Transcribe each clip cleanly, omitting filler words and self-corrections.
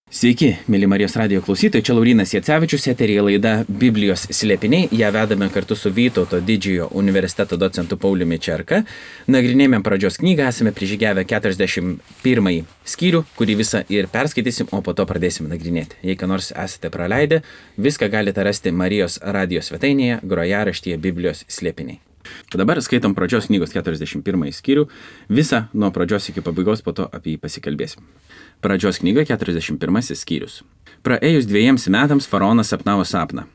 Sveiki, mėly Marijos radijo klausytojai, čia Laurynas Jacevičius, eteryje laida Biblijos slėpiniai. Ją vedame kartu su Vytauto didžiojo universiteto docentu Pauliumi Čerka. Nagrinėjame pradžios knygą, esame prižygiavę 41 skyrių, kurį visą ir perskaitysim, o po to pradėsim nagrinėti. Jei ką nors esate praleidę, viską galite rasti Marijos radijo svetainėje, grojaraštyje Biblijos slėpiniai. Dabar skaitom pradžios knygos 41 skyrių, visą nuo pradžios iki pabaigos, po to apie jį pasikalbėsim. Pradžios knyga 41 skyrius. Praėjus 2 metams faraonas sapnavo sapną.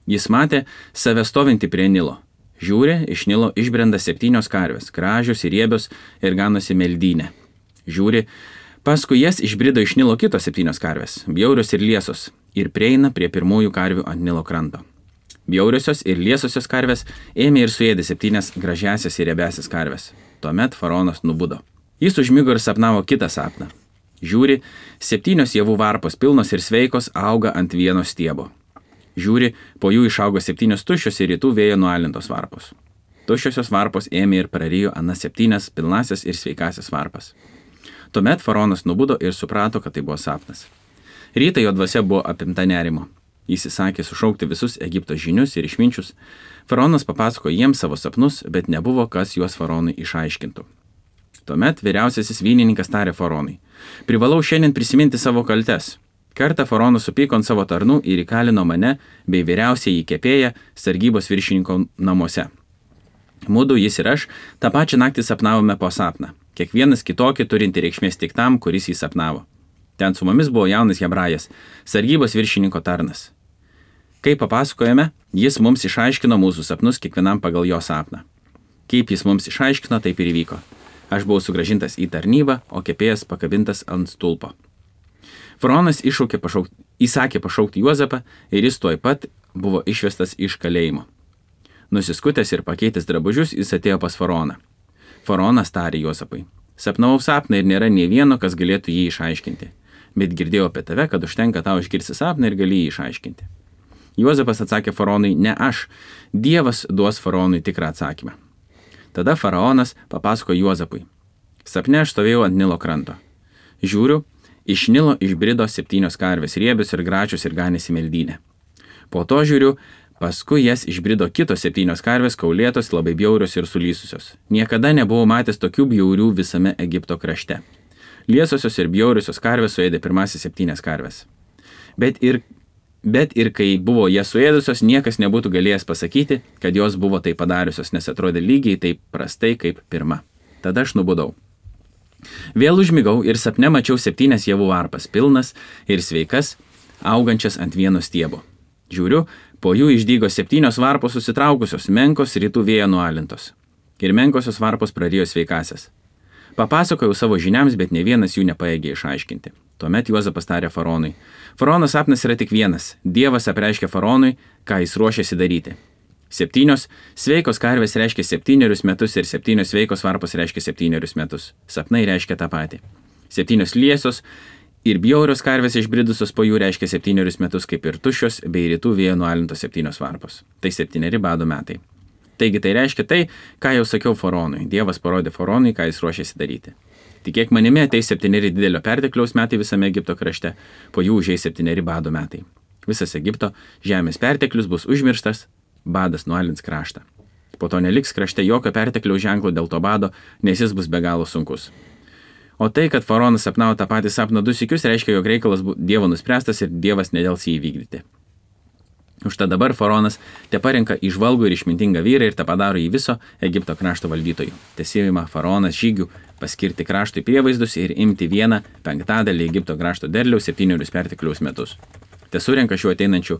Jis matė save stovintį prie Nilo. Žiūri, iš Nilo išbrenda 7 karvės, gražios ir riebios ir ganosi meldynę. Žiūri, paskui jas išbrido iš Nilo kitos 7 karvės, bjaurios ir liesos, ir prieina prie pirmųjų karvių ant Nilo kranto. Bjauriosios ir liesosios karvės ėmė ir suėdė 7 gražiasias ir riebiasias karvės. Tuomet faraonas nubudo. Jis užmigo ir sapnavo kitą sapną. Žiūri, 7 javų varpos pilnos ir sveikos auga ant vieno stiebo. Žiūri, po jų išaugo 7 tuščios ir rytų vėjo nualintos varpos. Tuščiosios varpos ėmė ir prarijo anas 7 pilnasias ir sveikasias varpas. Tuomet faraonas nubudo ir suprato, kad tai buvo sapnas. Rytą jo dvasia buvo apimta nerimo. Jis įsakė sušaukti visus Egipto žinius ir išminčius. Faraonas papasako jiems savo sapnus, bet nebuvo kas juos faraonui išaiškintų. Tuomet vyriausiasis vynininkas tarė faraonui: privalau šiandien prisiminti savo kaltes. Kartą faraonas supyko ant savo tarnų ir įkalino mane bei vyriausiąjį kepėją sargybos viršininko namuose. Mudu, jis ir aš, tą pačią naktį sapnavome po sapną. Kiekvienas kitokį turinti reikšmės tik tam, kuris jį sapnavo. Ten su mumis buvo jaunas hebrajas, sargybos viršininko tarnas. Kai papasakojame, jis mums išaiškino mūsų sapnus kiekvienam pagal jo sapną. Kaip jis mums išaiškino, taip ir įvyko. Aš buvau sugrąžintas į tarnybą, o kepėjas pakabintas ant stulpo. Faraonas įsakė pašaukti Juozapą ir jis tuoj pat buvo išvestas iš kalėjimo. Nusiskutęs ir pakeitęs drabužius, jis atėjo pas faraoną. Faraonas tarė Juozapui: sapnavau sapną ir nėra nei vieno, kas galėtų jį išaiškinti. Bet girdėjau apie tave, kad užtenka tau išgirsti sapną ir gali jį išaiškinti. Juozapas atsakė faraonui: ne aš, Dievas duos faraonui tikrą atsakymą. Tada faraonas papasako Juozapui: sapne aš stovėjau ant Nilo kranto. Žiūriu, iš Nilo išbrido 7 karvės, riebios ir gražios ir ganėsi meldynę. Po to žiūriu, paskui jas išbrido kitos 7 karvės, kaulėtos, labai bjaurios ir sulysusios. Niekada nebuvau matęs tokių bjaurių visame Egipto krašte. Liesosios ir bjauriosios karvės suėdė pirmasis 7 karvės. Bet ir kai buvo jas suėdusios, niekas nebūtų galėjęs pasakyti, kad jos buvo tai padariusios, nes atrodė lygiai taip prastai kaip pirma. Tada aš nubudau. Vėl užmigau ir sapne mačiau 7 javų varpas, pilnas ir sveikas, augančias ant vieno stiebo. Žiūriu, po jų išdygo 7 varpos susitraukusios, menkos rytų vėjo nualintos. Ir menkosios varpos prarijo sveikasias. Papasakojau savo žiniams, bet ne vienas jų nepaėgė išaiškinti. Tuomet Juozapas tarė faraonui: faraono sapnas yra tik vienas. Dievas apreiškė faraonui, ką jis ruošiasi daryti. 7 sveikos karvės reiškia 7 metus ir 7 sveikos varpos reiškia 7 metus. Sapnai reiškia tą patį. 7 liesos ir bjaurios karvės išbridusios po jų reiškia 7 metus, kaip ir tuščios bei rytų vėjo nualintos 7 varpos. Tai 7 bado metai. Taigi tai reiškia tai, ką jau sakiau faraonui. Dievas parodė faraonui, ką jis ruošiasi daryti. Tikėk manimi, ateis 7 didelio pertekliaus metai visame Egipto krašte, po jų užeis 7 bado metai. Visas Egipto žemės perteklius bus užmirštas, badas nualins kraštą. Po to neliks krašte jokio pertekliaus ženklo dėl to bado, nes jis bus be galo sunkus. O tai, kad faraonas sapnavo tą patį sapną 2 sykius, reiškia, jog reikalas Dievo nuspręstas ir Dievas nedels jį įvykdyti. Užtat dabar faraonas te parenka įžvalgų ir išmintingą vyrą ir te padaro jį viso Egipto krašto valdytojų. Tesivima faraonas žygių paskirti kraštui prievaizdus ir imti 1/5 Egipto krašto derliaus 7 pertekliaus metus. Te surenka šiuo ateinančių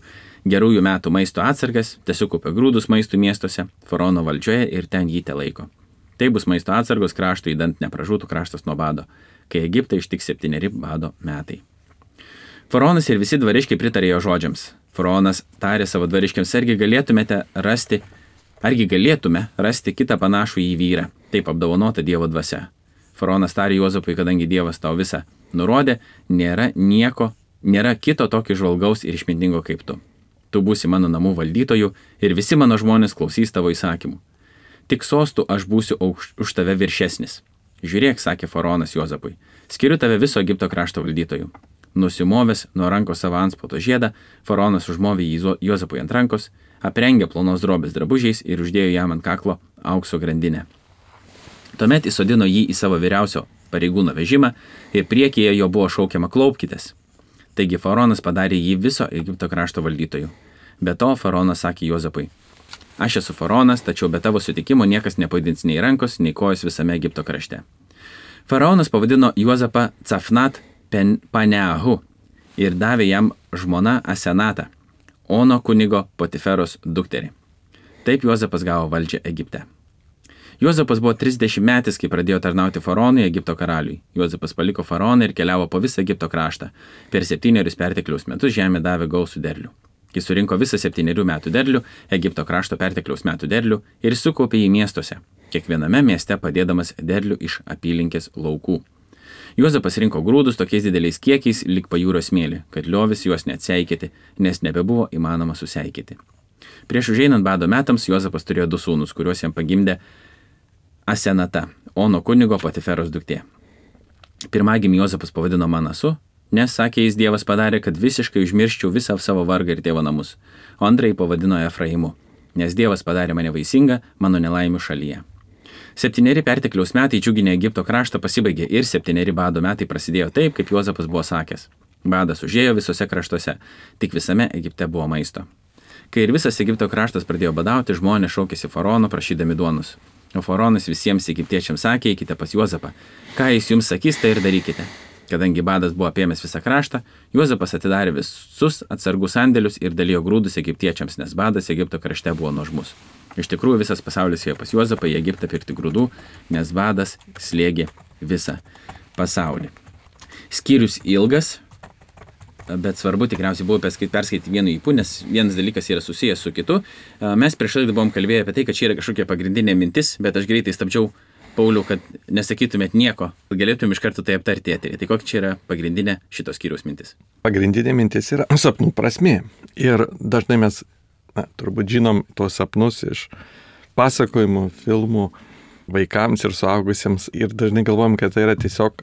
gerųjų metų maisto atsargas, te sukaupia grūdus maistų miestuose, faraono valdžioje ir ten jį te laiko. Tai bus maisto atsargos kraštui, idant nepražūtų kraštas nuo bado, kai Egiptą ištiks 7 bado metai. Faraonas ir visi dvariškiai pritarė jo žodžiams. Faraonas tarė savo dvariškiams: argi galėtume rasti kitą panašų į vyrą, taip apdovanotą Dievo dvasia. Faraonas tarė Juozapui: kadangi Dievas tau visą nurodė, nėra kito tokio žvalgaus ir išmintingo kaip tu. Tu būsi mano namų valdytojų ir visi mano žmonės klausys tavo įsakymų. Tik sostų aš būsiu už tave viršesnis. Žiūrėk, sakė faraonas Juozapui, skiriu tave viso Egipto krašto valdytojų. Nusimovęs nuo rankos savo antspaudo žiedą, faraonas užmovė jį Juozapui ant rankos, aprengė plonos drobės drabužiais ir uždėjo jam ant kaklo aukso grandinę. Tuomet įsodino jį į savo vyriausio pareigūno vežimą ir priekyje jo buvo šaukiama klaupkitės. Taigi faraonas padarė jį viso Egipto krašto valdytojų. Be to faraonas sakė Juozapui: aš esu faraonas, tačiau be tavo sutikimo niekas nepajudins nei rankos, nei kojos visame Egipto krašte. Faraonas pavadino Juozapą Cafnat Paneahu ir davė jam žmona Asenatą, Ono kunigo Potiferos dukterį. Taip Juozapas gavo valdžią Egipte. Juozapas buvo 30 metais, kai pradėjo tarnauti faraonui Egipto karaliui. Juozapas paliko faraoną ir keliavo po visą Egipto kraštą. Per 7 pertekliaus metus žemė davė gausų derlių. Kai surinko visą 7 metų derlių, Egipto krašto pertekliaus metų derlių ir sukaupė jį miestuose, kiekviename mieste padėdamas derlių iš apylinkės laukų. Juozapas rinko grūdus tokiais dideliais kiekiais lyg pajūrio smėlį, kad liovis juos neatseikėti, nes nebebuvo įmanoma suseikėti. Prieš užeinant bado metams Juozapas turėjo 2 sūnus, kuriuos jam pagimdė Asenata, Ono kunigo Potiferos duktė. Pirmagimį Juozapas pavadino Manasu, nes, sakė jis, Dievas padarė, kad visiškai užmirščiau visą savo vargą ir tėvo namus, o antrąjį pavadino Efraimu, nes Dievas padarė mane vaisingą mano nelaimių šalyje. 7 pertekliaus metai džiuginę Egipto kraštą pasibaigė ir 7 bado metai prasidėjo taip, kaip Juozapas buvo sakęs. Badas užėjo visose kraštuose, tik visame Egipte buvo maisto. Kai ir visas Egipto kraštas pradėjo badauti, žmonės šaukėsi faraono prašydami duonos. O faraonas visiems egiptiečiams sakė: eikite pas Juozapą. Ką jis jums sakys, tai ir darykite. Kadangi badas buvo apėmęs visą kraštą, Juozapas atidarė visus atsargų sandėlius ir dalijo grūdus egiptiečiams, nes badas Egipto krašte buvo nuožmus. Iš tikrųjų visas pasaulis ėjo pas Juozapą į Egiptą pirkti grūdų, nes badas slėgė visą pasaulį. Skyrius ilgas, bet svarbu tikriausiai buvo perskaityti vienu ypu, nes vienas dalykas yra susijęs su kitu. Mes prieš laidą buvom kalbėję apie tai, kad čia yra kažkokia pagrindinė mintis, bet aš greitai stabdžiau Paulių, kad nesakytumėt nieko, galėtum iš karto tai aptarti eterį. Tai kokia čia yra pagrindinė šito skyriaus mintis? Pagrindinė mintis yra sapnų prasmė. Ir dažnai mes turbūt žinom tuos sapnus iš pasakojimų, filmų vaikams ir suaugusiems ir dažnai galvojam, kad tai yra tiesiog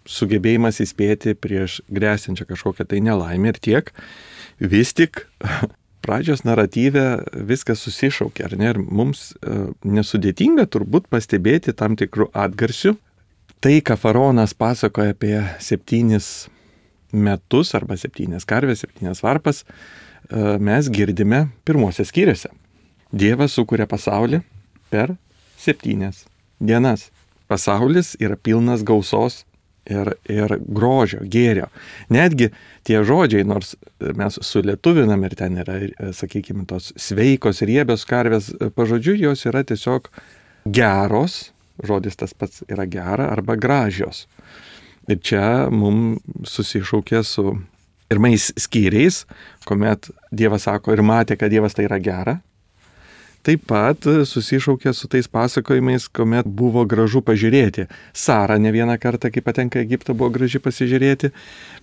sugebėjimas įspėti prieš grėsiančią kažkokią tai nelaimę ir tiek. Vis tik pradžios naratyve viskas susišaukia, ar ne? Ir mums nesudėtinga turbūt pastebėti tam tikrų atgarsių. Tai, ką faraonas pasakoja apie 7 metus arba 7 karves, 7 varpas, mes girdime pirmose skyriuose. Dievas sukuria pasaulį per 7 dienas. Pasaulis yra pilnas gausos ir grožio, gėrio. Netgi tie žodžiai, nors mes sulietuvinam ir ten yra, sakykime, tos sveikos, riebios karvės, pažodžiui, jos yra tiesiog geros, žodis tas pats yra gera arba gražios. Ir čia mums susišaukė su pirmais skyriais, kuomet Dievas sako ir matė, kad Dievas tai yra gera. Taip pat susišaukė su tais pasakojimais, kuomet buvo gražu pažiūrėti. Sara ne vieną kartą, kai patenka į Egiptą, buvo graži pasižiūrėti,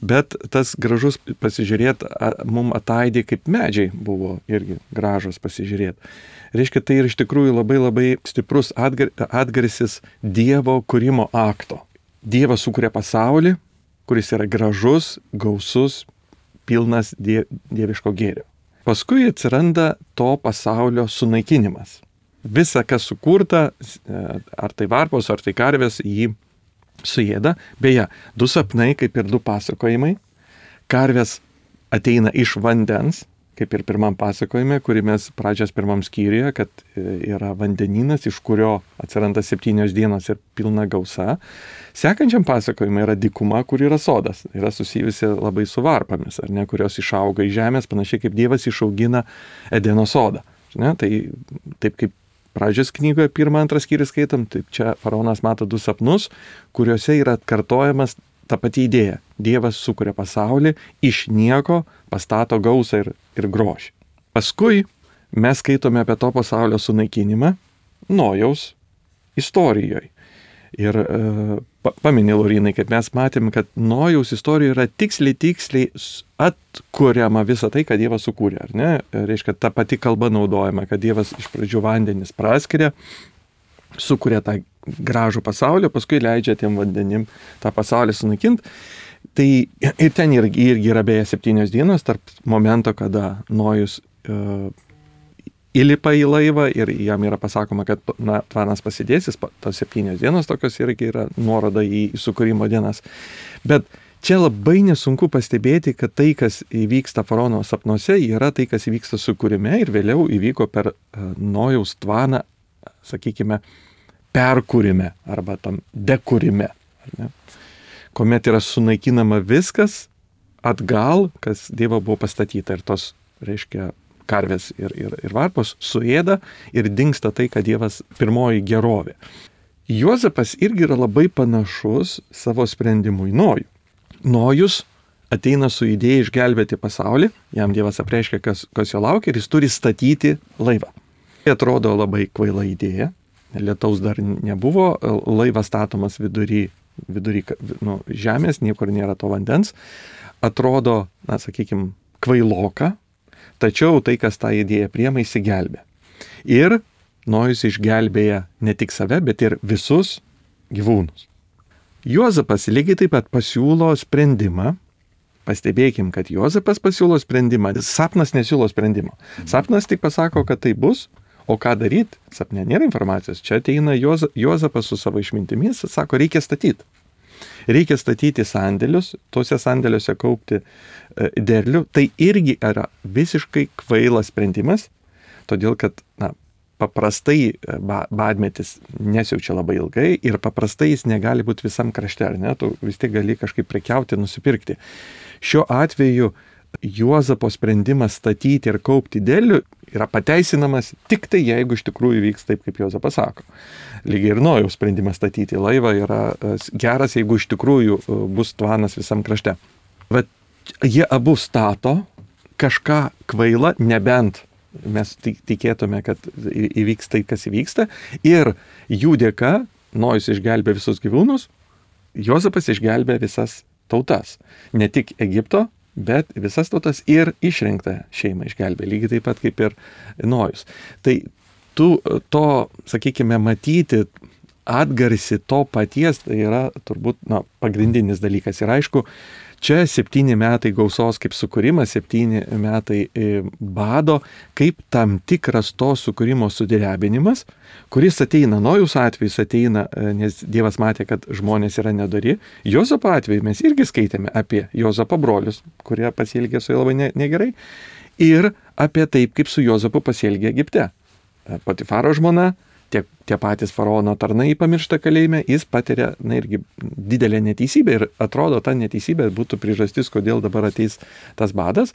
bet tas gražus pasižiūrėti mums ataidė, kaip medžiai buvo irgi gražus pasižiūrėti. Reiškia, tai ir iš tikrųjų labai labai stiprus atgarsis Dievo kūrimo akto. Dievas sukuria pasaulį, kuris yra gražus, gausus, pilnas dieviško gėrio. Paskui atsiranda to pasaulio sunaikinimas. Visa, kas sukurta, ar tai varpos, ar tai karvės, jį suėda. Beje, 2 sapnai, kaip ir 2 pasakojimai. Karvės ateina iš vandens, kaip ir pirmam pasakojime, kurį mes pradžios pirmam skyriuje, kad yra vandeninas, iš kurio atsiranda 7 dienos ir pilna gausa. Sekančiam pasakojime yra dykuma, kur yra sodas. Yra susijusi labai su varpomis, ar ne, kurios išauga iš žemės, panašiai kaip Dievas išaugina Edeno sodą. Ne? Tai taip kaip pradžios knygoje 1-2 skyrius skaitom, taip čia faraonas mato 2 sapnus, kuriuose yra atkartojamas ta pati idėja. Dievas sukuria pasaulį, iš nieko pastato gausą ir grožį. Paskui mes skaitome apie to pasaulio sunaikinimą Nojaus istorijoje. Ir paminė Laurinai, kad mes matėm, kad Nojaus istorijoje yra tiksliai atkuriama visa tai, ką Dievas sukūrė. Ar ne? Reiškia, ta pati kalba naudojama, kad Dievas iš pradžių vandenis praskiria, sukuria tą gražų pasaulį, paskui leidžia tiem vandenim tą pasaulį sunaikinti. Tai ir ten irgi yra beje 7 dienos tarp momento, kada Nojus įlipa į laivą ir jam yra pasakoma, kad tvanas pasidės, tos 7 dienos tokios irgi yra nuoroda į sukūrimo dienas. Bet čia labai nesunku pastebėti, kad tai, kas įvyksta faraono sapnuose, yra tai, kas įvyksta sukūrime ir vėliau įvyko per Nojaus tvaną, sakykime, perkūrime arba tam dekūrime. Kuomet yra sunaikinama viskas atgal, kas Dievo buvo pastatyta. Ir tos, reiškia, karvės ir varpos suėda ir dingsta tai, kad Dievas pirmoji gerovė. Juozapas irgi yra labai panašus savo sprendimui į Nojų. Nojus ateina su idėja išgelbėti pasaulį, jam Dievas apreiškia, kas jo laukia ir jis turi statyti laivą. Tai atrodo labai kvaila idėja, lietaus dar nebuvo, laivas statomas vidury žemės, niekur nėra to vandens, atrodo, sakykime, kvailoka, tačiau tai, kas tą idėją priema, įsigelbė. Ir Nojus išgelbėja ne tik save, bet ir visus gyvūnus. Juozapas lygiai taip pat pasiūlo sprendimą. Pastebėkim, kad Juozapas pasiūlo sprendimą. Sapnas nesiūlo sprendimo. Sapnas tik pasako, kad tai bus, o ką daryti? Sapne nėra informacijos. Čia ateina Juozapas su savo išmintimis, sako, reikia statyti. Reikia statyti sandėlius, tuose sandėliuose kaupti derlių. Tai irgi yra visiškai kvailas sprendimas, todėl kad paprastai badmetis nesiaučia labai ilgai ir paprastai jis negali būti visam krašte, ar ne? Tu vis tiek gali kažkaip prekiauti, nusipirkti. Šiuo atveju Juozapo sprendimas statyti ir kaupti derlių yra pateisinamas tik tai, jeigu iš tikrųjų vyks taip, kaip Juozapas sako. Lygiai ir Nojaus sprendimas statyti laivą yra geras, jeigu iš tikrųjų bus tvanas visam krašte. Bet jie abu stato kažką kvailą, nebent mes tikėtume, kad įvyks tai, kas įvyksta. Ir jų dėka Nojus išgelbė visus gyvūnus, Juozapas išgelbė visas tautas. Ne tik Egipto, bet visas tautas ir išrinktą šeimą išgelbė, lygiai taip pat kaip ir Nojus. Tai to, sakykime, matyti atgarsi to paties, tai yra turbūt pagrindinis dalykas. Ir aišku, čia 7 metai gausos kaip sukūrimas, 7 metai bado, kaip tam tikras to sukūrimo sudrebinimas, kuris ateina, Nojaus atvejus ateina, nes Dievas matė, kad žmonės yra nedori. Juozapo atveju mes irgi skaitėme apie Juozapo brolius, kurie pasielgė su juo labai negerai, ir apie taip, kaip su Juozapu pasielgė Egipte. Potifaro žmona, tie patys faraono tarnai pamiršta kalėjime, jis patiria irgi didelę neteisybę ir atrodo, ta neteisybė būtų priežastis, kodėl dabar ateis tas badas.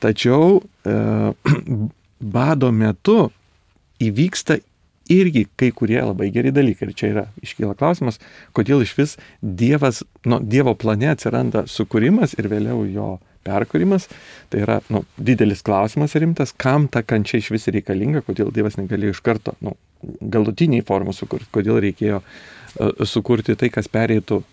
Tačiau bado metu įvyksta irgi kai kurie labai geri dalykai. Ir čia iškyla klausimas, kodėl iš vis Dievo plane atsiranda sukūrimas ir vėliau jo perkūrimas. Tai yra didelis klausimas rimtas, kam ta kančia iš vis reikalinga, kodėl Dievas negalėjo iš karto galutiniai formų sukurti, kodėl reikėjo sukurti tai, kas pereitų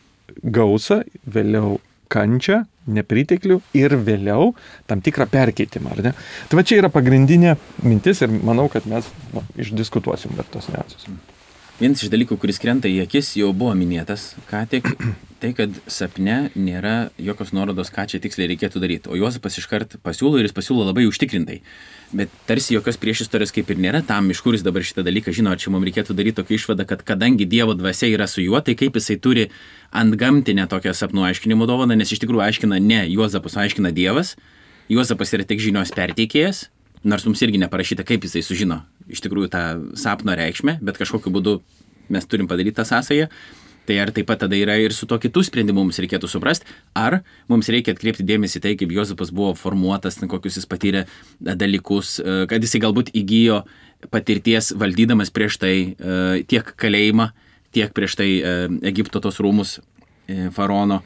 gausą, vėliau kančią, nepriteklių ir vėliau tam tikrą perkeitimą, ar ne? Tai va čia yra pagrindinė mintis ir manau, kad mes išdiskutuosim dar tos niuansus. Vienas iš dalykų, kuris krenta į akis, jau buvo minėtas, ką tik, tai, kad sapne nėra jokios nuorodos, ką čia tiksliai reikėtų daryti. O Juozapas iškart pasiūlo ir jis pasiūlo labai užtikrintai. Bet tarsi jokios priešistorės kaip ir nėra tam, iš kur jis dabar šitą dalyką žino, ar čia mums reikėtų daryti tokią išvadą, kad kadangi Dievo dvasia yra su juo, tai kaip jisai turi antgamtinę tokią sapnų aiškinimo dovaną, nes iš tikrųjų aiškina ne Juozapas, aiškina Dievas. Juozapas yra tik žinios perteikėjas, nors mums irgi neparašyta, kaip jisai sužino iš tikrųjų tą sapno reikšmę, bet kažkokiu būdu mes turim padaryti tą sąsają. Tai ar taip pat tada yra ir su to kitų sprendimų mums reikėtų suprasti, ar mums reikia atkreipti dėmesį tai, kaip Juozapas buvo formuotas, kokius jis patyrė dalykus, kad jisai galbūt įgijo patirties valdydamas prieš tai tiek kalėjimą, tiek prieš tai Egipto tos rūmus faraono,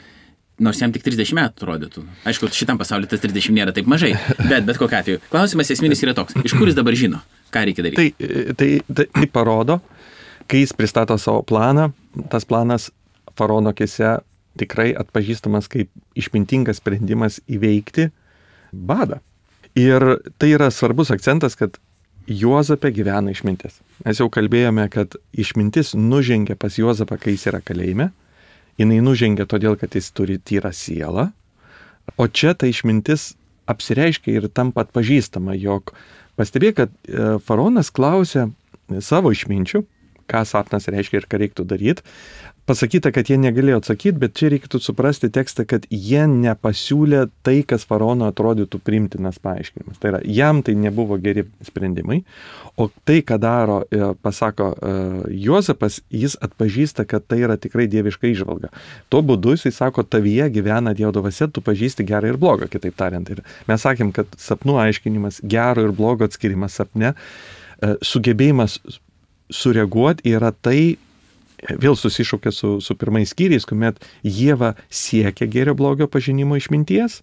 nors jam tik 30 metų atrodytų. Aišku, šitam pasaulyje tas 30 nėra taip mažai, bet kokiu atveju. Klausimas esminis yra toks, iš kur jis dabar žino, ką reikia daryti? Tai parodo, kai jis pristato savo planą, tas planas faraono akise tikrai atpažįstamas kaip išmintingas sprendimas įveikti badą. Ir tai yra svarbus akcentas, kad Juozape gyvena išmintis. Mes jau kalbėjome, kad išmintis nužengia pas Juozapą, kai jis yra kalėjime, jinai nužengia todėl, kad jis turi tyrą sielą, o čia ta išmintis apsireiškia ir tampa atpažįstama, jog pastebėk, kad faraonas klausia savo išminčių, ką sapnas reiškia ir ką reiktų daryti. Pasakyta, kad jie negalėjo atsakyti, bet čia reiktų suprasti tekstą, kad jie nepasiūlė tai, kas faraono atrodytų priimtinas paaiškinimas. Tai yra, jam tai nebuvo geri sprendimai, o tai, ką daro, pasako Juozapas, jis atpažįsta, kad tai yra tikrai dieviška įžvalga. Tuo būdu jisai sako, tavyje gyvena Dievo dvasia, tu pažįsti gerą ir blogą, kitaip tariant. Ir mes sakėm, kad sapnų aiškinimas, gero ir blogo atskirimas sapne, sugebėjimas sureaguoti yra tai, vėl susišaukia su pirmais skyriais, kuomet Ieva siekia gėrio blogio pažinimo išminties,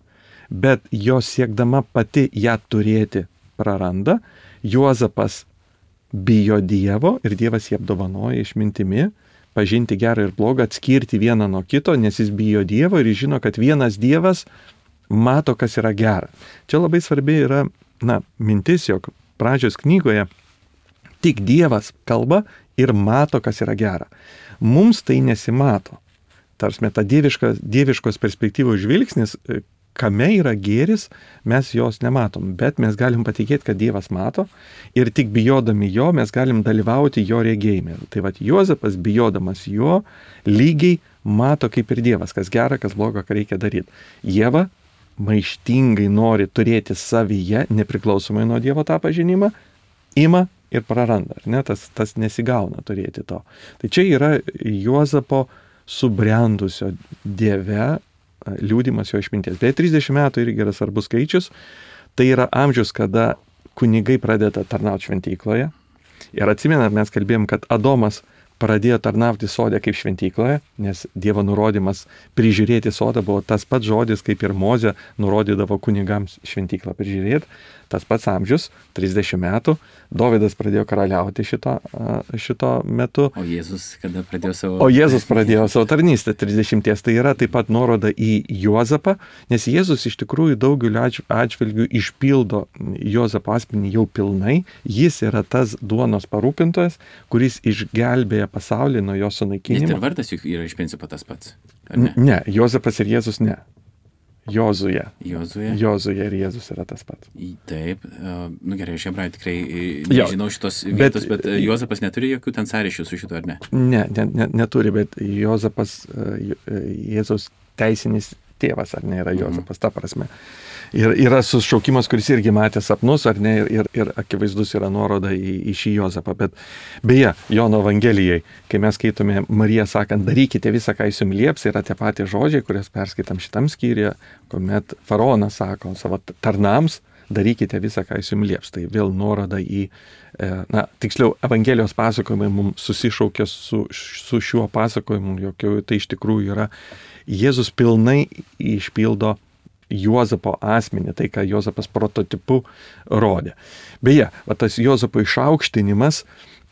bet jos siekdama pati ją turėti praranda. Juozapas bijo Dievo ir Dievas jį apdovanoja išmintimi, pažinti gerą ir blogą, atskirti vieną nuo kito, nes jis bijo Dievo ir jis žino, kad vienas Dievas mato, kas yra gera. Čia labai svarbi yra, mintis, jog pradžios knygoje tik Dievas kalba ir mato, kas yra gera. Mums tai nesimato. Tarsime, ta dieviškos perspektyvos žvilgsnis, kame yra gėris, mes jos nematom, bet mes galim patikėti, kad Dievas mato ir tik bijodami jo mes galim dalyvauti jo regėjime. Tai vat Juozapas, bijodamas jo, lygiai mato kaip ir Dievas, kas gera, kas bloga, ką reikia daryti. Ieva maištingai nori turėti savyje, nepriklausomai nuo Dievo tą pažinimą, ima ir praranda, ar ne? Tas nesigauna turėti to. Tai čia yra Juozapo subrendusio Dieve liūdimas jo išminties. Beje, 30 metų irgi yra svarbus skaičius. Tai yra amžius, kada kunigai pradeda tarnauti šventykloje. Ir atsimenat, mes kalbėjom, kad Adomas pradėjo tarnauti sode kaip šventykloje, nes Dievo nurodymas prižiūrėti sodą buvo tas pats žodis, kaip ir Mozė nurodydavo kunigams šventyklą prižiūrėti. Tas pats amžius, 30 metų, Dovydas pradėjo karaliauti šito metu. O Jėzus kada pradėjo savo... O Jėzus pradėjo savo tarnystę 30. Tai yra taip pat nuoroda į Juozapą, nes Jėzus iš tikrųjų daugeliu atžvilgių išpildo Juozapo asmenį jau pilnai. Jis yra tas duonos parūpintojas, kuris išgelbėja pasaulį nuo jo sunaikinimo. Net ir vardas juk yra iš principo tas pats. Ne, Juozapas ir Jėzus ne. Jozuė ir Jėzus yra tas pats. Taip, gerai, aš hebrajų tikrai nežinau šitos vietos, bet Juozapas neturi jokių ten sąryšių su šito, ar ne? Ne, neturi, bet Juozapas, Jėzaus teisinis tėvas, ar ne, yra Juozapas, ta prasme. Ir yra sušaukimas, kuris irgi matė sapnus, ar ne, ir akivaizdus yra nuoroda į šį Juozapą. Bet beje, Jono Evangelijai, kai mes skaitome Mariją sakant, darykite visą, ką jis jums lieps, yra tie patys žodžiai, kurias perskaitam šitam skyriuje, kuomet faraonas sako savo tarnams, darykite visą, ką jis jums lieps. Tai vėl nuoroda į, tiksliau, Evangelijos pasakojimai mums susišaukia su šiuo pasakojimu, jog tai iš tikrųjų yra Jėzus pilnai išpildo Juozapo asmenį, tai ką Juozapas prototipu rodė. Beje, tas Juozapo išaukštinimas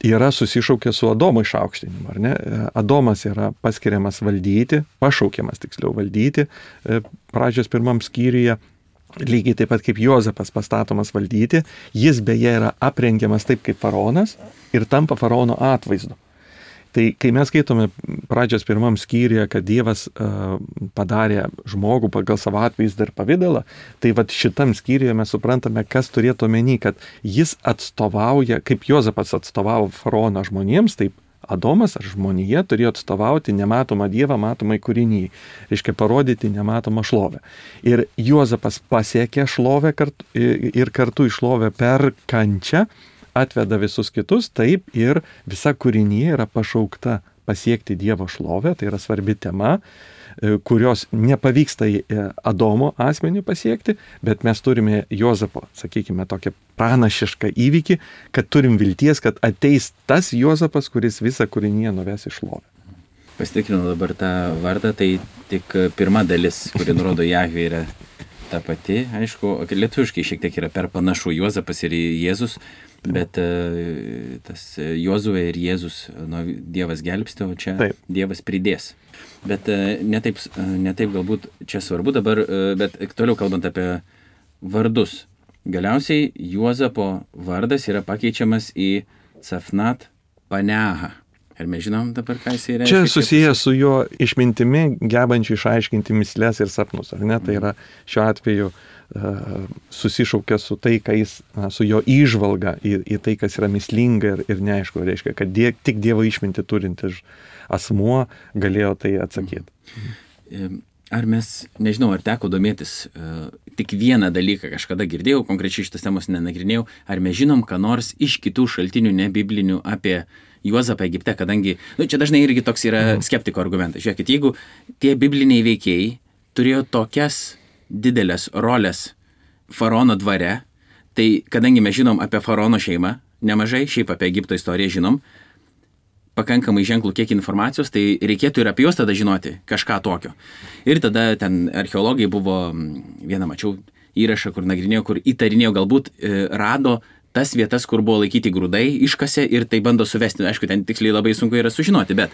yra susišaukia su Adomo išaukštinimu, ar ne? Adomas yra paskiriamas valdyti, pašaukiamas tiksliau valdyti pradžios pirmam skyriuje, lygiai taip pat kaip Juozapas pastatomas valdyti, jis beje yra aprengiamas taip kaip faraonas ir tampa faraono atvaizdu. Tai kai mes skaitome pradžios pirmam skyriuje, kad Dievas padarė žmogų pagal savo atvaizdą ir pavidalą, tai šitam skyriuje mes suprantame, kas turėtų omeny, kad jis atstovauja, kaip Juozapas atstovavo faraono žmonėms, taip Adomas ar žmonija turėjo atstovauti nematomą Dievą matomai kūrinyje, reiškia parodyti nematomą šlovę. Ir Juozapas pasiekė šlovę ir kartu į šlovę per kančią, atveda visus kitus, taip ir visa kūrinyje yra pašaukta pasiekti Dievo šlovę, tai yra svarbi tema, kurios nepavyksta Adomo asmeniui pasiekti, bet mes turime Juozapo, sakykime, tokią pranašišką įvykį, kad turim vilties, kad ateis tas Juozapas, kuris visą kūrinyje nuves į šlovę. Pasitikrinau dabar tą vardą, tai tik pirma dalis, kuri nurodo Jahvė, yra ta pati, aišku, lietuviškai šiek tiek yra per panašu Juozapas ir Jėzus, bet tas Jozuė ir Jėzus, Dievas gelbsti, o čia taip. Dievas pridės. Bet ne taip galbūt čia svarbu dabar, bet toliau kalbant apie vardus. Galiausiai Juozapo vardas yra pakeičiamas į Cafnat Paneha. Ar mes žinom dabar, ką jis reiškia? Čia susijęs su jo išmintimi, gebančiu išaiškinti mįsles ir sapnus, ar ne? Tai yra šiuo atveju susišaukia su tai, ką jis, su jo įžvalga į tai, kas yra mįslinga ir neaišku, reiškia, kad tik Dievo išmintį turintis asmuo galėjo tai atsakyti. Ar mes, nežinau, ar teko domėtis, tik vieną dalyką kažkada girdėjau, konkrečiai šitas temos nenagrinėjau, ar mes žinom, ką nors iš kitų šaltinių, ne biblinių, apie Juozapą Egipte, kadangi, čia dažnai irgi toks yra skeptiko argumentas. Žiūrėkit, jeigu tie bibliniai veikėjai turėjo tokias didelės rolės faraono dvare, tai kadangi mes žinom apie faraono šeimą, nemažai, šiaip apie Egipto istoriją žinom, pakankamai ženklų kiek informacijos, tai reikėtų ir apie juos tada žinoti kažką tokio. Ir tada ten archeologai buvo, vieną mačiau įrašą, kur nagrinėjo, kur įtarinėjo, galbūt rado tas vietas, kur buvo laikyti grūdai, iškasė ir tai bando suvesti. Aišku, ten tiksliai labai sunku yra sužinoti, bet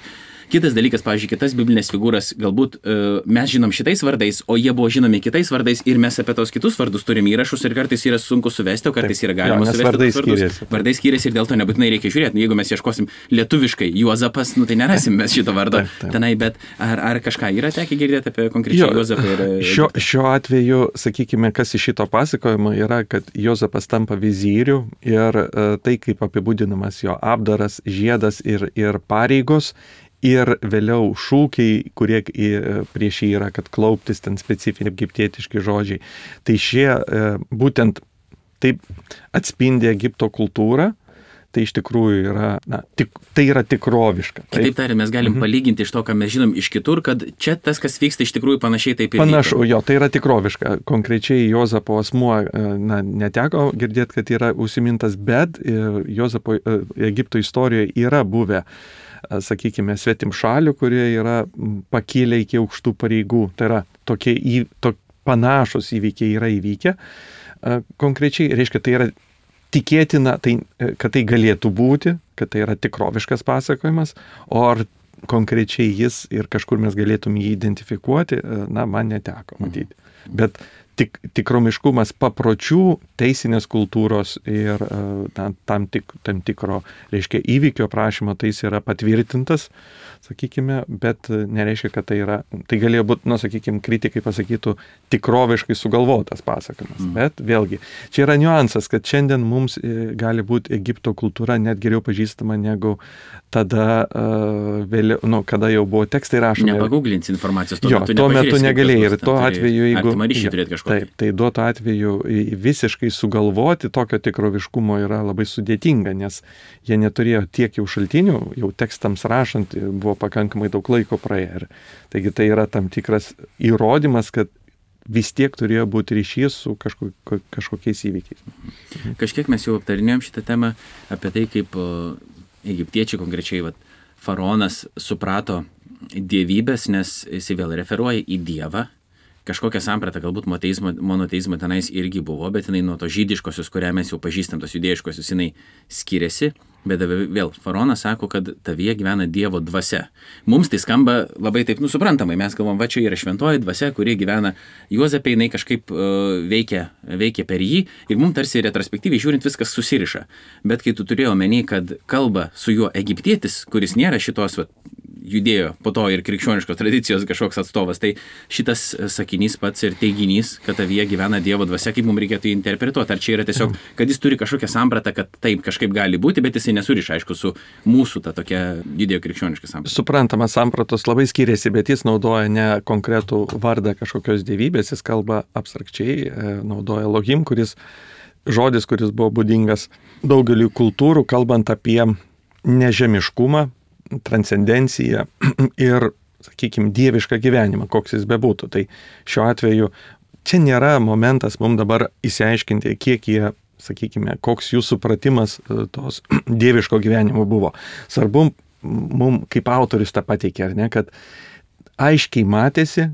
kitas dalykas, pavyzdžiui, kitas biblinės figūras, galbūt mes žinom šitais vardais, o jie buvo žinomi kitais vardais ir mes apie tos kitus vardus turime įrašus ir kartais yra sunku suvesti, o kartais yra galima suvesti. Vardai skiriasi ir dėl to nebūtinai reikia žiūrėti. Jeigu mes ieškosim lietuviškai Juozapas, tai nerasim mes šito vardo tenai, bet ar kažką yra tekę girdėti apie konkrečiai Juozapą? Šiuo atveju, sakykime, kas iš šito pasakojimo yra, kad Juozapas tampa vizyriu ir tai, kaip apibūdinamas jo apdaras, žiedas ir pareigos. Ir vėliau šūkiai, kurie prieš jį yra, kad klauptis, ten specifiniai egiptietiški žodžiai. Tai šie būtent taip atspindi Egipto kultūrą, tai iš tikrųjų yra, tai yra tikroviška. Kitaip tariant, mes galim palyginti iš to, ką mes žinom iš kitur, kad čia tas, kas vyksta, iš tikrųjų panašiai taip ir panašu, jo, tai yra tikroviška. Konkrečiai Juozapo asmuo, neteko girdėti, kad yra užsimintas, bet Juozapo Egipto istorijoje yra buvę, sakykime, svetim šalių, kurie yra pakilę iki aukštų pareigų. Tai yra tokie panašus įvykiai yra įvykę. Konkrečiai, reiškia, tai yra tikėtina, kad tai galėtų būti, kad tai yra tikroviškas pasakojimas, o ar konkrečiai jis ir kažkur mes galėtum jį identifikuoti, man neteko matyti. Bet tikromiškumas papročių, teisinės kultūros ir tam tikro, reiškia, įvykio aprašymo, tai jis yra patvirtintas, sakykime, bet nereiškia, kad tai yra, tai galėjo būti, sakykime, kritikai pasakytų tikroviškai sugalvotas pasakojimas. Bet vėlgi, čia yra niuansas, kad šiandien mums gali būti Egipto kultūra net geriau pažįstama negu tada, vėliau, kada jau buvo tekstai rašomi. Nepaguglinsi informacijos, tuo metu negalėjai ir tuo atveju, jeigu Taip, tai duotų atveju visiškai sugalvoti tokio tikroviškumo yra labai sudėtinga, nes jie neturėjo tiek jau šaltinių, jau tekstams rašant buvo pakankamai daug laiko praėję. Taigi tai yra tam tikras įrodymas, kad vis tiek turėjo būti ryšys su kažkokiais įvykiais. Kažkiek mes jau aptarinėjom šitą temą apie tai, kaip egiptiečiai konkrečiai faraonas suprato dievybės, nes jis vėl referuoja į Dievą. Kažkokia samprata, galbūt monoteizmo tenais irgi buvo, bet jinai nuo to žydiškosios, kurią mes jau pažįstam, tos judėjiškosios, jinai skiriasi, bet vėl faraonas sako, kad tavyje gyvena Dievo dvasia. Mums tai skamba labai taip suprantamai, mes galvom, čia yra šventoji dvasia, kuri gyvena Juozape, jinai kažkaip veikia per jį ir mums tarsi retrospektyviai žiūrint viskas susiriša. Bet kai tu turėjai omeny, kad kalba su juo egiptietis, kuris nėra šitos judėjo po to ir krikščioniškos tradicijos kažkoks atstovas, tai šitas sakinys pats ir teiginys, kad tavyje gyvena Dievo dvasia, kaip mums reikėtų interpretuoti. Ar čia yra tiesiog, kad jis turi kažkokią sampratą, kad taip kažkaip gali būti, bet jisai nesuriša, aišku, su mūsų ta tokia judėjo krikščioniška samprata. Suprantama, sampratos labai skiriasi, bet jis naudoja ne konkretų vardą kažkokios dievybės, jis kalba abstrakčiai, naudoja Elohim, žodis, kuris buvo būdingas daugeliu kultūrų, kalbant apie nežemiškumą, transcendenciją ir, sakykime, dievišką gyvenimą, koks jis bebūtų. Tai šiuo atveju čia nėra momentas mums dabar įsiaiškinti, kiek jie, sakykime, koks jų supratimas tos dieviško gyvenimo buvo. Svarbu mums, kaip autorius tą pateikė, ar ne, kad aiškiai matėsi,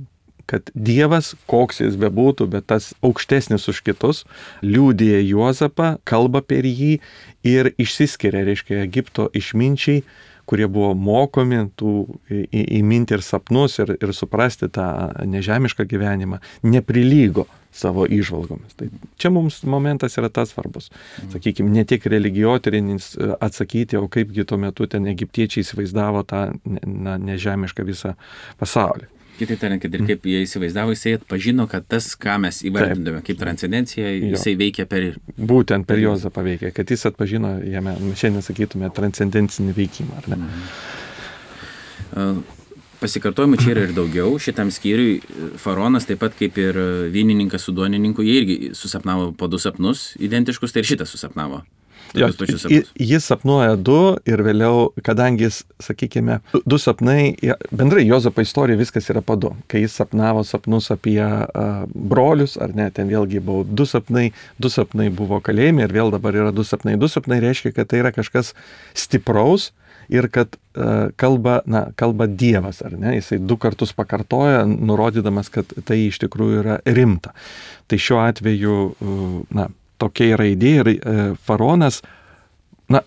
kad Dievas, koks jis bebūtų, bet tas aukštesnis už kitus, liudija Juozapą, kalba per jį ir išsiskiria, reiškia, Egipto išminčiai, kurie buvo mokomi įminti ir sapnus ir suprasti tą nežemišką gyvenimą, neprilygo, savo įžvalgomis. Tai čia mums momentas yra tas svarbus. Sakykime, ne tik religijotyrinis atsakyti, o kaipgi tuo metu ten egiptiečiai įsivaizdavo tą nežemišką visą pasaulį. Kitaip tariant, kad ir kaip jie įsivaizdavo, jisai atpažino, kad tas, ką mes įvardindame kaip transcendencija, jisai veikia per... Būtent per Juozapą veikia, kad jis atpažino jame, šiandien sakytume, transcendencinį veikimą, ar ne? Pasikartojimų čia yra ir daugiau. Šitam skyriui faraonas, taip pat kaip ir vynininkas su duonininku, jie irgi susapnavo po 2 sapnus identiškus, tai ir šitas susapnavo. Jo, jis sapnuoja 2 ir vėliau, kadangi jis, sakykime, 2 sapnai, bendrai Juozapo istorija viskas yra po 2. Kai jis sapnavo sapnus apie brolius, ar ne, ten vėlgi buvo 2 sapnai, 2 sapnai buvo kalėjime ir vėl dabar yra 2 sapnai. 2 sapnai reiškia, kad tai yra kažkas stipraus ir kad kalba Dievas, ar ne, jisai 2 kartus pakartoja, nurodydamas, kad tai iš tikrųjų yra rimta. Tai šiuo atveju, tokia yra idėja ir faraonas,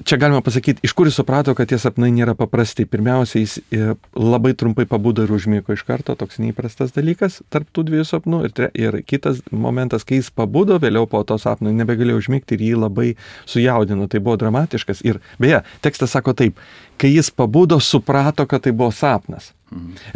čia galima pasakyti, iš kur jis suprato, kad tie sapnai nėra paprasti. Pirmiausia, jis labai trumpai pabudo ir užmygo iš karto, toks neįprastas dalykas tarp tų 2 sapnų. Ir kitas momentas, kai jis pabudo, vėliau po to sapno nebegalėjo užmygti ir jį labai sujaudino. Tai buvo dramatiškas. Ir beje, tekstas sako taip, kai jis pabudo, suprato, kad tai buvo sapnas.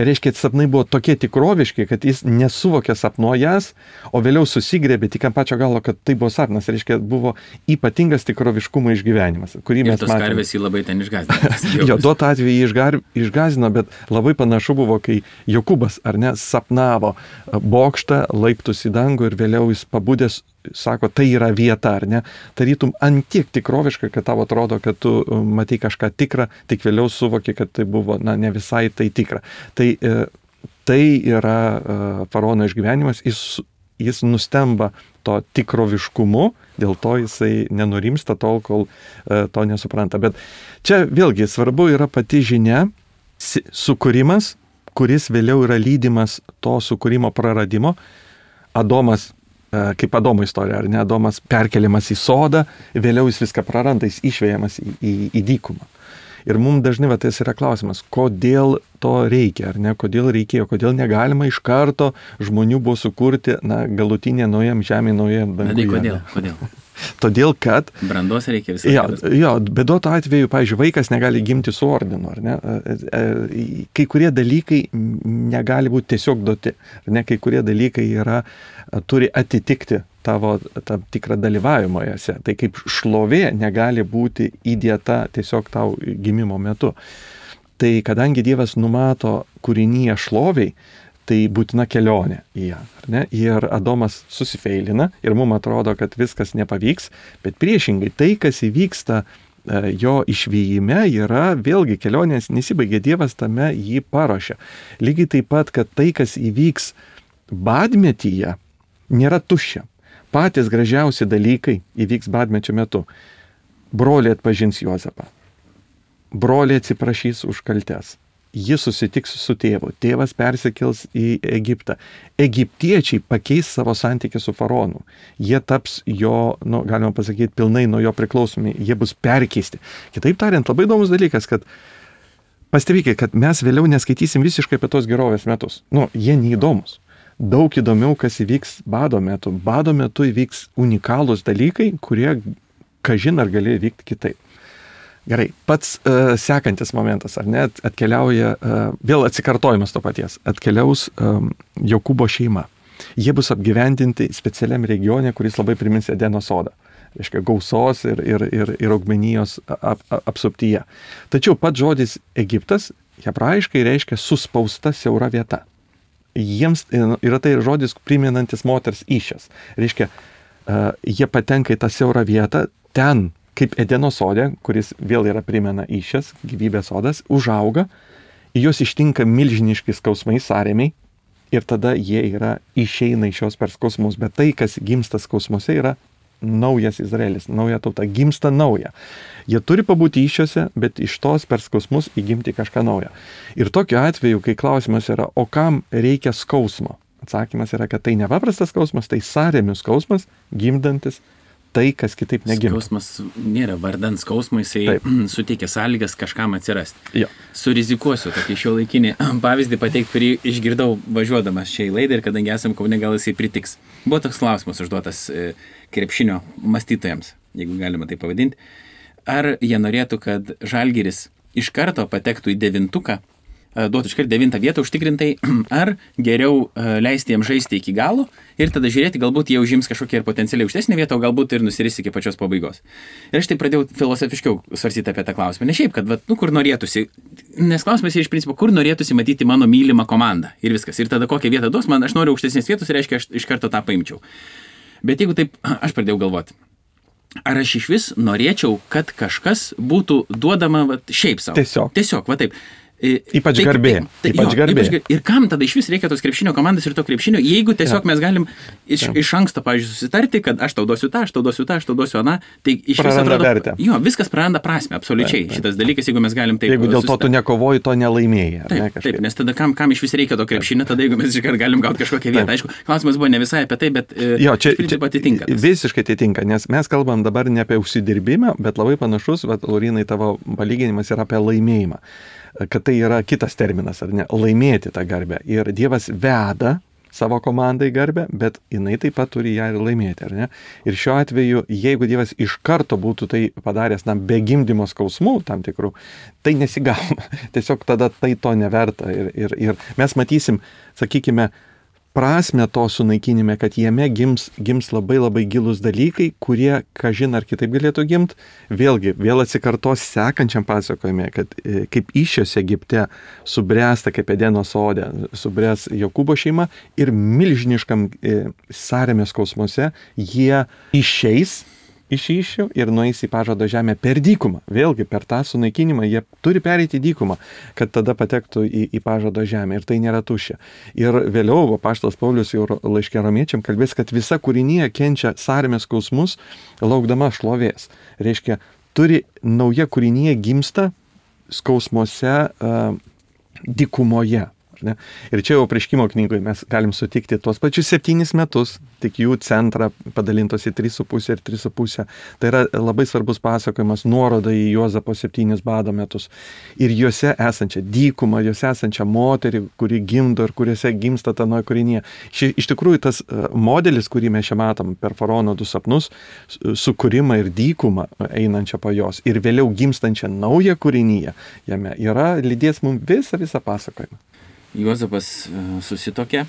Reiškia, sapnai buvo tokie tikroviški, kad jis nesuvokė sapnuojas, o vėliau susigrėbė tik ant pačio galo, kad tai buvo sapnas. Reiškia, buvo ypatingas tikroviškumo išgyvenimas, kurį mes matėme. Ir tos karvės jį labai ten išgąsdino. Jo, duotą atveju jį išgąsdino, bet labai panašu buvo, kai Jokūbas, ar ne, sapnavo bokštą, laiptus į dangų ir vėliau jis pabudęs sako, tai yra vieta, ar ne? Tarytum antiek tikroviška, kad tau atrodo, kad tu matai kažką tikrą, tik vėliau suvoki, kad tai buvo, ne visai tai tikra. Tai yra faraono išgyvenimas, jis nustemba to tikroviškumu, dėl to jisai nenurimsta tol, kol to nesupranta. Bet čia vėlgi svarbu yra pati žinia, sukūrimas, kuris vėliau yra lydimas to sukūrimo praradimo. Adomas, kaip Adomo istorija, ar ne, Adomas perkeliamas į sodą, vėliau jis viską praranda, jis išvejamas į dykumą. Ir mums dažnai tas yra klausimas, kodėl to reikia, ar ne, kodėl reikėjo, kodėl negalima iš karto žmonių buvo sukurti, galutinė naujam žemė, naujam danguje. Kodėl? Todėl, kad... Brandos reikia visą. Jo, bet duoto atveju, pavyzdžiui, vaikas negali gimti su ordinu, ar ne? Kai kurie dalykai negali būti tiesiog duoti, ar ne? Kai kurie dalykai turi atitikti tavo tam tikrą dalyvavimą jose. Tai kaip šlovė negali būti įdėta tiesiog tau gimimo metu. Tai kadangi Dievas numato kūrinyje šloviai, tai būtina kelionė į ją. Ne? Ir Adomas susifeilina ir mums atrodo, kad viskas nepavyks, bet priešingai tai, kas įvyksta jo išvyjime, yra vėlgi kelionės nesibaigia, Dievas tame jį paruošia. Lygiai taip pat, kad tai, kas įvyks badmetyje, nėra tuščia. Patys gražiausi dalykai įvyks badmečio metu. Broliai atpažins Juozapą. Broliai atsiprašys už kaltes. Jis susitiks su tėvu. Tėvas persikels į Egiptą. Egiptiečiai pakeis savo santykį su faraonu. Jie taps jo, galima pasakyti, pilnai nuo jo priklausomi. Jie bus perkeisti. Kitaip tariant, labai įdomus dalykas, kad pastebėkite, kad mes vėliau neskaitysim visiškai apie tos gerovės metus. Jie neįdomus. Daug įdomiau, kas įvyks bado metu. Bado metu įvyks unikalūs dalykai, kurie, kažin ar gali vykti kitaip. Gerai, pats sekantis momentas, ar ne, atkeliauja, vėl atsikartojimas to paties, atkeliaus Jokūbo šeima. Jie bus apgyvendinti specialiam regione, kuris labai primins Edeno sodą. Reiškia, gausos ir augmenijos apsuptyje. Tačiau pats žodis Egiptas hebrajiškai reiškia suspausta siaura vieta. Jiems yra tai žodis priminantis moters įsčias. Reiškia, jie patenka į tą siaurą vietą, ten kaip Edeno sode, kuris vėl yra primena įsčias, gyvybės sodas, užauga, juos ištinka milžiniški skausmai, sąrėmiai, ir tada jie išeina iš šios per skausmus. Bet tai, kas gimsta skausmuose, yra naujas Izraelis, nauja tauta, gimsta nauja. Jie turi pabūti įsčiose, bet iš tos per skausmus įgimti kažką naują. Ir tokiu atveju, kai klausimas yra, o kam reikia skausmo? Atsakymas yra, kad tai nepaprastas skausmas, tai sąrėmių skausmas, gimdantis tai, kas kitaip negimtų. Skausmas nėra vardan skausmo, jisai suteikia sąlygas kažkam atsirasti. Jo. Surizikuosiu tokį šiuolaikinį pavyzdį pateikti, kurį išgirdau važiuodamas čia į laidą ir kadangi esam Kaune, gal jisai pritiks. Buvo toks klausimas užduotas krepšinio mąstytojams, jeigu galima tai pavadinti. Ar jie norėtų, kad Žalgiris iš karto patektų į 9, duotų iškart 9 vietą užtikrintai, ar geriau leisti jiems žaisti iki galo ir tada žiūrėti, galbūt jie užims kažkokią ir potencialiai aukštesnę vietą, o galbūt ir nusiris iki pačios pabaigos. Ir aš tai pradėjau filosofiškiau svarstyti apie tą klausimą. Ne šiaip, kad kur norėtųsi, nes klausimas yra iš principo, kur norėtųsi matyti mano mylimą komandą ir viskas. Ir tada kokią vietą duos man, aš noriu aukštesnės vietos, reiškia, aš iš karto tą paimčiau. Bet jeigu taip, aš pradėjau galvoti. Ar aš iš vis norėčiau, kad kažkas būtų duodama šiaip savo? Tiesiog, va taip. Ypač garbė. Ir kam tada iš vis reikia tos krepšinio komandos ir to krepšinio, jeigu tiesiog mes galim iš anksto, pavyzdžiui, susitarti, kad aš tau duosiu tą, aš tau duosiu tą, aš tau duosiu aną, tai iš vis atrodo, viskas praranda prasmę, absoliučiai. Šitas dalykas, jeigu mes galim taip. Jeigu dėl to tu nekovoji, to nelaimėjai. Taip, nes tada kam iš vis reikia to krepšinio, tada jeigu mes iškart galim gauti kažkokią vietą. Aišku, klausimas buvo ne visai apie tai, bet čia atitinka. Visiškai atitinka, nes mes kalbam dabar ne apie užsidirbimą, bet labai panašus, Laurinai, tavo palyginimas yra apie laimėjimą. Kad tai yra kitas terminas, ar ne, laimėti tą garbę. Ir Dievas veda savo komandai garbę, bet jinai taip pat turi ją ir laimėti, ar ne? Ir šiuo atveju, jeigu Dievas iš karto būtų tai padaręs, be gimdymo skausmų tam tikrų, tai nesigauna. Tiesiog tada tai to neverta. Ir mes matysim, sakykime, prasme to sunaikinime, kad jame gims labai labai gilus dalykai, kurie, kažin ar kitaip galėtų gimt, vėl atsikartos sekančiam pasakojime, kad kaip Išijos Egipte subręsta, kaip Edeno sode, subręs Jokūbo šeima ir milžiniškam sąrėmės skausmuose jie išeis iš Išių ir nueis į pažado žemę per dykumą. Vėlgi, per tą sunaikinimą jie turi pereiti dykumą, kad tada patektų į pažado žemę. Ir tai nėra tuščia. Ir vėliau apaštalas Paulius jau laiške Romiečiam kalbės, kad visa kūrinija kenčia sąrėmės skausmus, laukdama šlovės. Reiškia, turi nauja kūrinija gimsta skausmuose dykumoje. Ne? Ir čia jau Apreiškimo knygoje mes galim sutikti tuos pačius 7 metus, tik jų centrą padalintos į 3,5 ir 3,5. Tai yra labai svarbus pasakojimas, nuoroda į Juozapo 7 bado metus. Ir juose esančią dykumą, juose esančią moterį, kuri gimdo ir kuriuose gimsta ta nauja kūrinija. Iš tikrųjų, tas modelis, kurį mes čia matom per Faraono 2 sapnus, sukūrimą ir dykumą einančią po jos ir vėliau gimstančią naują kūriniją, jame yra lydės mums visą pasakojimą. Juozapas susitokė,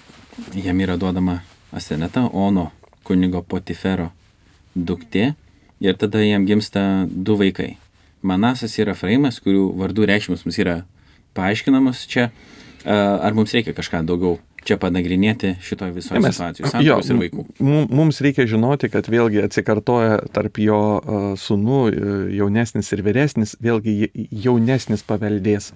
jam yra duodama Aseneta, Ono kunigo Potifero duktė ir tada jam gimsta 2 vaikai. Manasas ir Efraimas, kurių vardų reikšmės mums yra paaiškinamos čia. Ar mums reikia kažką daugiau čia panagrinėti šitoje visoje situacijoje, santuokos ir vaikų? Mums reikia žinoti, kad vėlgi atsikartoja tarp jo sūnų, jaunesnis ir vyresnis, vėlgi jaunesnis paveldės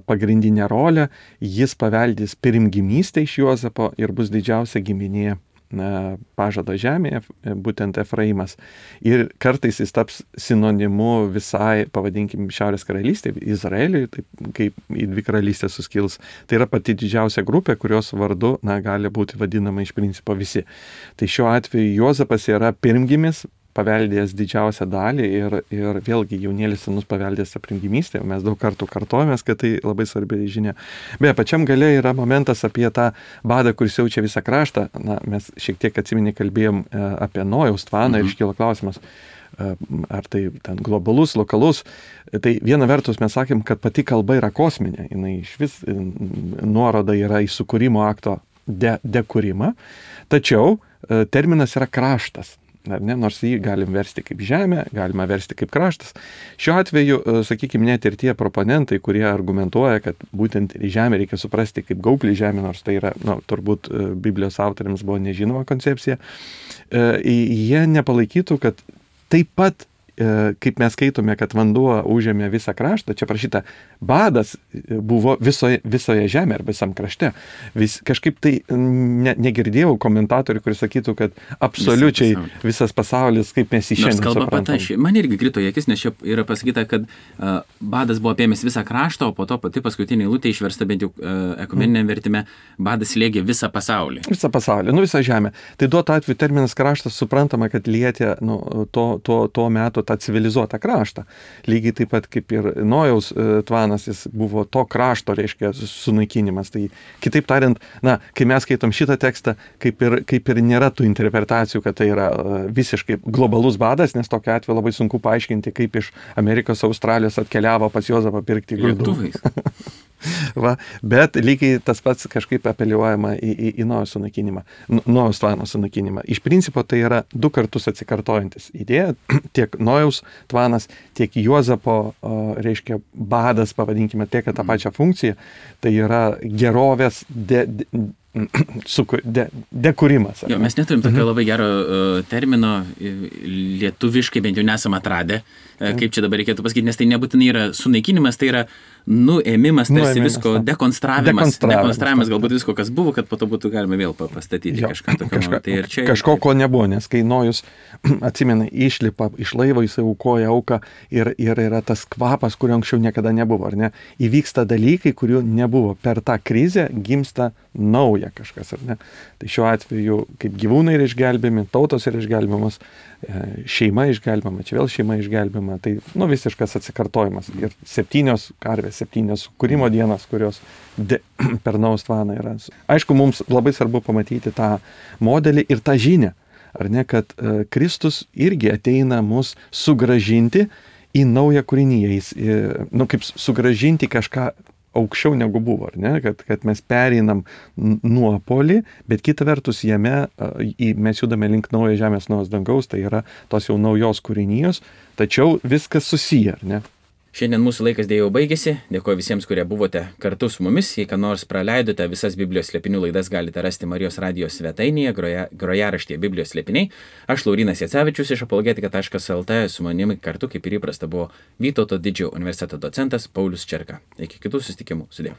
pagrindinę rolę, jis paveldys pirmgimystę iš Juozapo ir bus didžiausia giminė pažado žemėje, būtent Efraimas. Ir kartais jis taps sinonimu visai, pavadinkim, Šiaurės karalystė, Izraeliui, taip kaip į 2 karalystės suskils. Tai yra pati didžiausia grupė, kurios vardu gali būti vadinama iš principo visi. Tai šiuo atveju Juozapas yra pirmgimis, paveldėjęs didžiausią dalį ir vėlgi jaunėlis sūnus paveldėjęs tą pirmgimystę. Mes daug kartų kartojamės, kad tai labai svarbi žinia. Beje, pačiam gale yra momentas apie tą badą, kuris siaučia visą kraštą. Mes šiek tiek atsiminė kalbėjom apie Nojaus tvaną ir iškilo klausimas, ar tai ten globalus, lokalus. Tai viena vertus mes sakėm, kad pati kalba yra kosminė. Jinai iš vis nuoroda yra į sukūrimo akto dekūrimą. Tačiau terminas yra kraštas. Nors jį galim versti kaip žemė, galima versti kaip kraštas. Šiuo atveju, sakykime, net ir tie proponentai, kurie argumentuoja, kad būtent žemę reikia suprasti kaip gaublį žemę, nors tai yra, turbūt Biblijos autoriams buvo nežinoma koncepcija, jie nepalaikytų, kad taip pat kaip mes skaitome, kad vanduo užėmė visą kraštą, čia prašyta, badas buvo visoje žemėje ar visam krašte. Kažkaip tai negirdėjau komentatorių, kuris sakytų, kad absoliučiai visas pasaulis, kaip mes jį šiandien suprantame. Man irgi krito į akis, nes čia yra pasakyta, kad badas buvo apėmęs visą kraštą, o po to pati paskutinė eilutė išversta bent jau ekumeniniame vertime, badas slėgė visą pasaulį. Visą pasaulį, visą žemę. Tai duotų atveju terminas kraštas suprantama, kad lietė to meto tą civilizuotą kraštą. Lygiai taip pat kaip ir Nojaus tvanas, jis buvo to krašto, reiškia, sunaikinimas. Tai kitaip tariant, kai mes skaitom šitą tekstą, kaip ir nėra tų interpretacijų, kad tai yra visiškai globalus badas, nes tokiu atveju labai sunku paaiškinti, kaip iš Amerikos, Australijos atkeliavo pas Juozapą pirkti grūdų. Bet lygiai tas pats kažkaip apeliuojama į Nojaus sunaikinimą, Nojaus tvano sunaikinimą. Iš principo tai yra 2 kartus atsikartojantis idėja, tiek Nojaus tvanas, tiek Juozapo, reiškia, badas, pavadinkime, tiek tą pačią funkciją, tai yra gerovės dekūrimas. Mes neturim tokio labai gero termino, lietuviškai bent jau nesam atradę, kaip čia dabar reikėtų pasakyti, nes tai nebūtinai yra sunaikinimas, tai yra nuėmimas, tarsi visko, dekonstravimas, galbūt visko, kas buvo, kad po to būtų galima vėl pastatyti kažką tokio. Kažko, ko nebuvo, nes kai Nojus, atsimena, išlipa iš laivo, jis aukoja auką ir yra tas kvapas, kurio anksčiau niekada nebuvo, ar ne? Įvyksta dalykai, kurių nebuvo. Per tą krizę gimsta nauja kažkas, ar ne? Tai šiuo atveju, kaip gyvūnai yra išgelbėmi, tautos yra išgelbėmas, šeima išgelbėma, čia vėl šeima išgelbėma, tai visiškas atsikartojimas. Ir 7 karvės, 7 kūrimo dienas, kurios per Nojaus tvaną yra. Aišku, mums labai svarbu pamatyti tą modelį ir tą žinią, ar ne, kad Kristus irgi ateina mus sugrąžinti į naują kūrinyje, kaip sugrąžinti kažką aukščiau negu buvo, ar ne? Kad mes pereinam nuopolį, bet kita vertus jame mes judame link naujo žemės, naujos dangaus, tai yra tos jau naujos kūrinijos, tačiau viskas susiję, ar ne? Šiandien mūsų laikas dėjau baigėsi. Dėkoju visiems, kurie buvote kartu su mumis. Jei ką nors praleidote, visas Biblijos slėpinių laidas galite rasti Marijos radijos svetainėje, grojaraštyje Biblijos slėpiniai. Aš Laurynas Jacevičius iš apologetika.lt, su manimi kartu, kaip ir įprasta, buvo Vytauto Didžiojo universiteto docentas Paulius Čerka. Iki kitų susitikimų. Sudie.